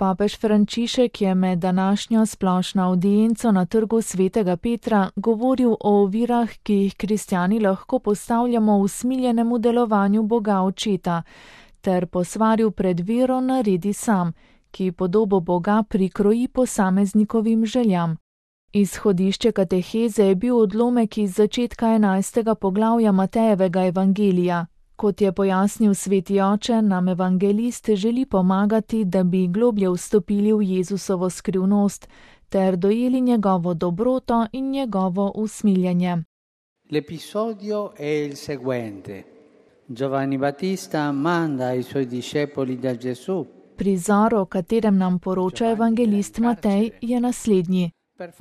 Papež Frančišek je med današnjo splošno avdienco na trgu Svetega Petra govoril o ovirah, ki jih kristjani lahko postavljamo v usmiljenemu delovanju Boga Očeta, ter posvaril pred vero naredi sam, ki podobo Boga prikroji posameznikovim željam. Izhodišče kateheze je bil odlomek iz začetka 11. poglavja Matejevega evangelija. Kot je pojasnil sveti oče, nam evangelist želi pomagati, da bi globlje vstopili v Jezusovo skrivnost, ter dojeli njegovo dobroto in njegovo usmiljenje. L'episodio è il seguente. Giovanni Battista manda ai suoi discepoli da Gesù. Prizor, o katerem nam poroča evangelist Matej, je naslednji.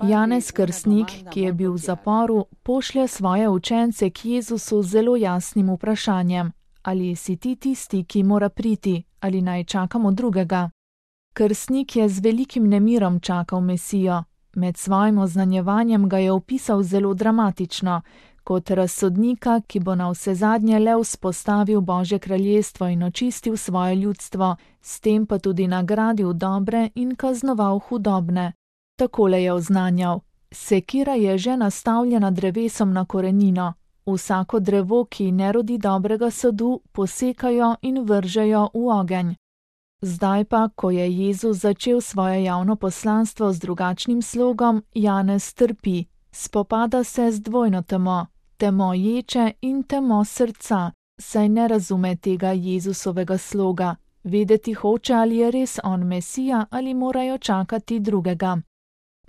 Janez Krstnik, ki je bil v zaporu, pošlje svoje učence k Jezusu z zelo jasnim vprašanjem: ali si ti tisti, ki mora priti, ali naj čakamo drugega? Krstnik je z velikim nemirom čakal Mesijo. Med svojim oznanjevanjem ga je opisal zelo dramatično, kot razsodnika, ki bo navsezadnje le vzpostavil Božje kraljestvo in očistil svoje ljudstvo, s tem pa tudi nagradil dobre in kaznoval hudobne. Takole je oznanjal: sekira je že nastavljena drevesom na korenino. Vsako drevo, ki ne rodi dobrega sadu, posekajo in vržejo v ogenj. Zdaj pa, ko je Jezus začel svoje javno poslanstvo z drugačnim slogom, Janez trpi. Spopada se z dvojno temo, temo ječe in temo srca, saj ne razume tega Jezusovega sloga. Vedeti hoče, ali je res on Mesija ali morajo čakati drugega.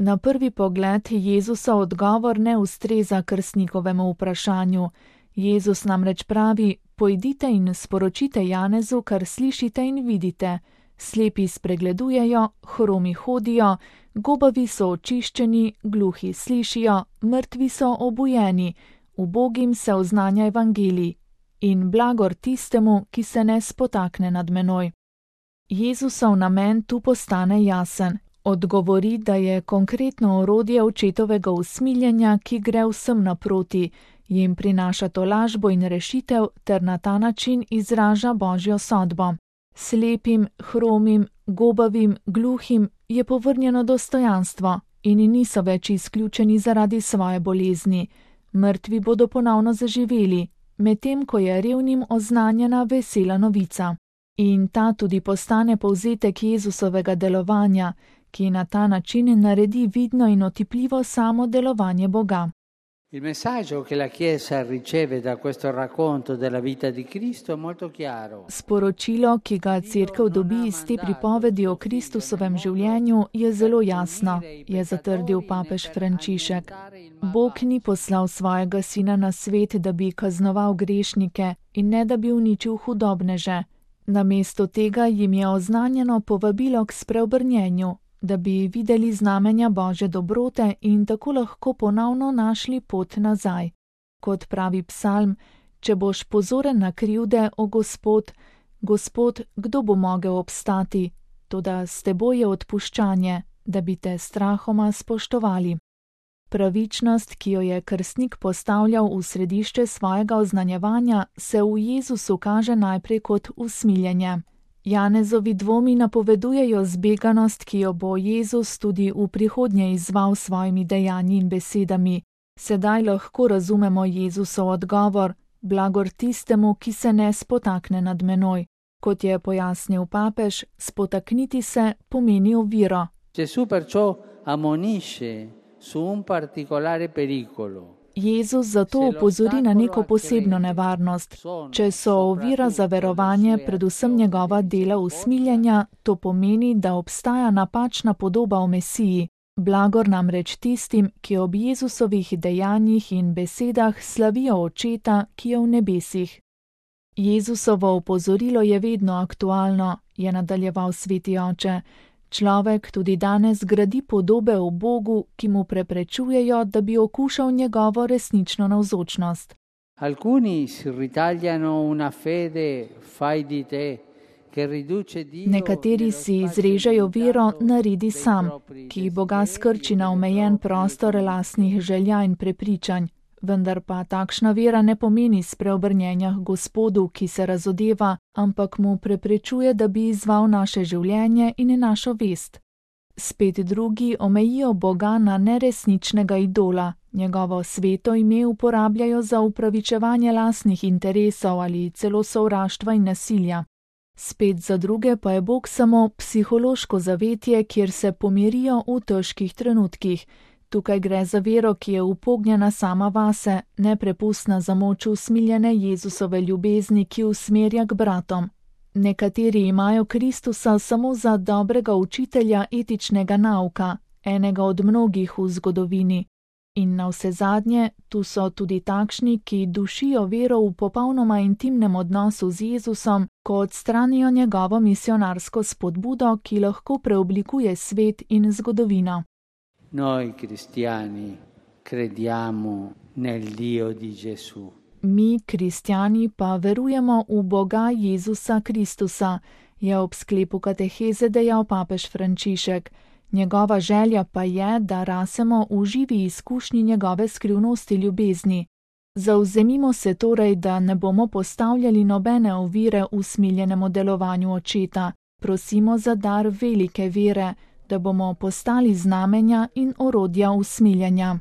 Na prvi pogled Jezusov odgovor ne ustreza krstnikovemu vprašanju. Jezus namreč pravi: pojdite in sporočite Janezu, kar slišite in vidite. Slepi spregledujejo, hromi hodijo, gobavi so očiščeni, gluhi slišijo, mrtvi so obujeni, ubogim se oznanja evangelij. In blagor tistemu, ki se ne spotakne nad menoj. Jezusov namen tu postane jasen. Odgovori, da je konkretno orodje očetovega usmiljenja, ki gre vsem naproti, jim prinaša tolažbo in rešitev ter na ta način izraža Božjo sodbo. Slepim, hromim, gobavim, gluhim je povrnjeno dostojanstvo in niso več izključeni zaradi svoje bolezni. Mrtvi bodo ponovno zaživeli, medtem ko je revnim oznanjena vesela novica. In ta tudi postane povzetek Jezusovega delovanja, ki na ta način naredi vidno in otipljivo samo delovanje Boga. Il messaggio che la Chiesa riceve da questo racconto della vita di Cristo è molto chiaro. Sporočilo, ki ga Cerkev dobi iz te pripovedi o Kristusovem življenju, je zelo jasno, je zatrdil papež Frančišek. Bog ni poslal svojega sina na svet, da bi kaznoval grešnike in ne da bi uničil hudobneže. Namesto tega jim je oznanjeno povabilo k spreobrnjenju, da bi videli znamenja Božje dobrote in tako lahko ponovno našli pot nazaj. Kot pravi psalm: če boš pozoren na krivde, o Gospod, Gospod, kdo bo mogel obstati? Toda s teboj je odpuščanje, da bi te strahoma spoštovali. Pravičnost, ki jo je krstnik postavljal v središče svojega oznanjevanja, se v Jezusu kaže najprej kot usmiljenje. Janezovi dvomi napovedujejo zbeganost, ki jo bo Jezus tudi v prihodnje izval s svojimi dejanji in besedami. Sedaj lahko razumemo Jezusov odgovor: blagor tistemu, ki se ne spotakne nad menoj. Kot je pojasnil papež, spotakniti se pomeni oviro. Gesù perciò ammonisce su un particolare pericolo. Jezus zato opozori na neko posebno nevarnost. Če so ovira za verovanje predvsem njegova dela usmiljenja, to pomeni, da obstaja napačna podoba o Mesiji. Blagor namreč tistim, ki ob Jezusovih dejanjih in besedah slavijo Očeta, ki je v nebesih. Jezusovo opozorilo je vedno aktualno, je nadaljeval sveti oče. Človek tudi danes gradi podobe o Bogu, ki mu preprečujejo, da bi okušal njegovo resnično navzočnost. Alcuni si ritagliano una fede fai di te, che riduce Dio. Nekateri si izrežejo vero naredi sam, ki Boga skrči na omejen prostor lastnih želja in prepričanj. Vendar pa takšna vera ne pomeni spreobrnjenja k Gospodu, ki se razodeva, ampak mu preprečuje, da bi izval naše življenje in našo vest. Spet drugi omejijo Boga na neresničnega idola, njegovo sveto ime uporabljajo za upravičevanje lastnih interesov ali celo sovraštva in nasilja. Spet za druge pa je Bog samo psihološko zavetje, kjer se pomirijo v težkih trenutkih. Tukaj gre za vero, ki je upognjena sama vase, neprepustna za moč usmiljene Jezusove ljubezni, ki usmerja k bratom. Nekateri imajo Kristusa samo za dobrega učitelja etičnega nauka, enega od mnogih v zgodovini. In navsezadnje, tu so tudi takšni, ki dušijo vero v popolnoma intimnem odnosu z Jezusom, ko odstranijo njegovo misionarsko spodbudo, ki lahko preoblikuje svet in zgodovino. Noi cristiani crediamo nel Dio di Gesù. Mi, kristjani, pa verujemo v Boga Jezusa Kristusa, je ob sklepu kateheze dejal papež Frančišek. Njegova želja pa je, da rasemo v živi izkušnji njegove skrivnosti ljubezni. Zavzemimo se torej, da ne bomo postavljali nobene ovire v smiljenemu delovanju Očeta. Prosimo za dar velike vere, da bomo postali znamenja in orodja usmiljenja.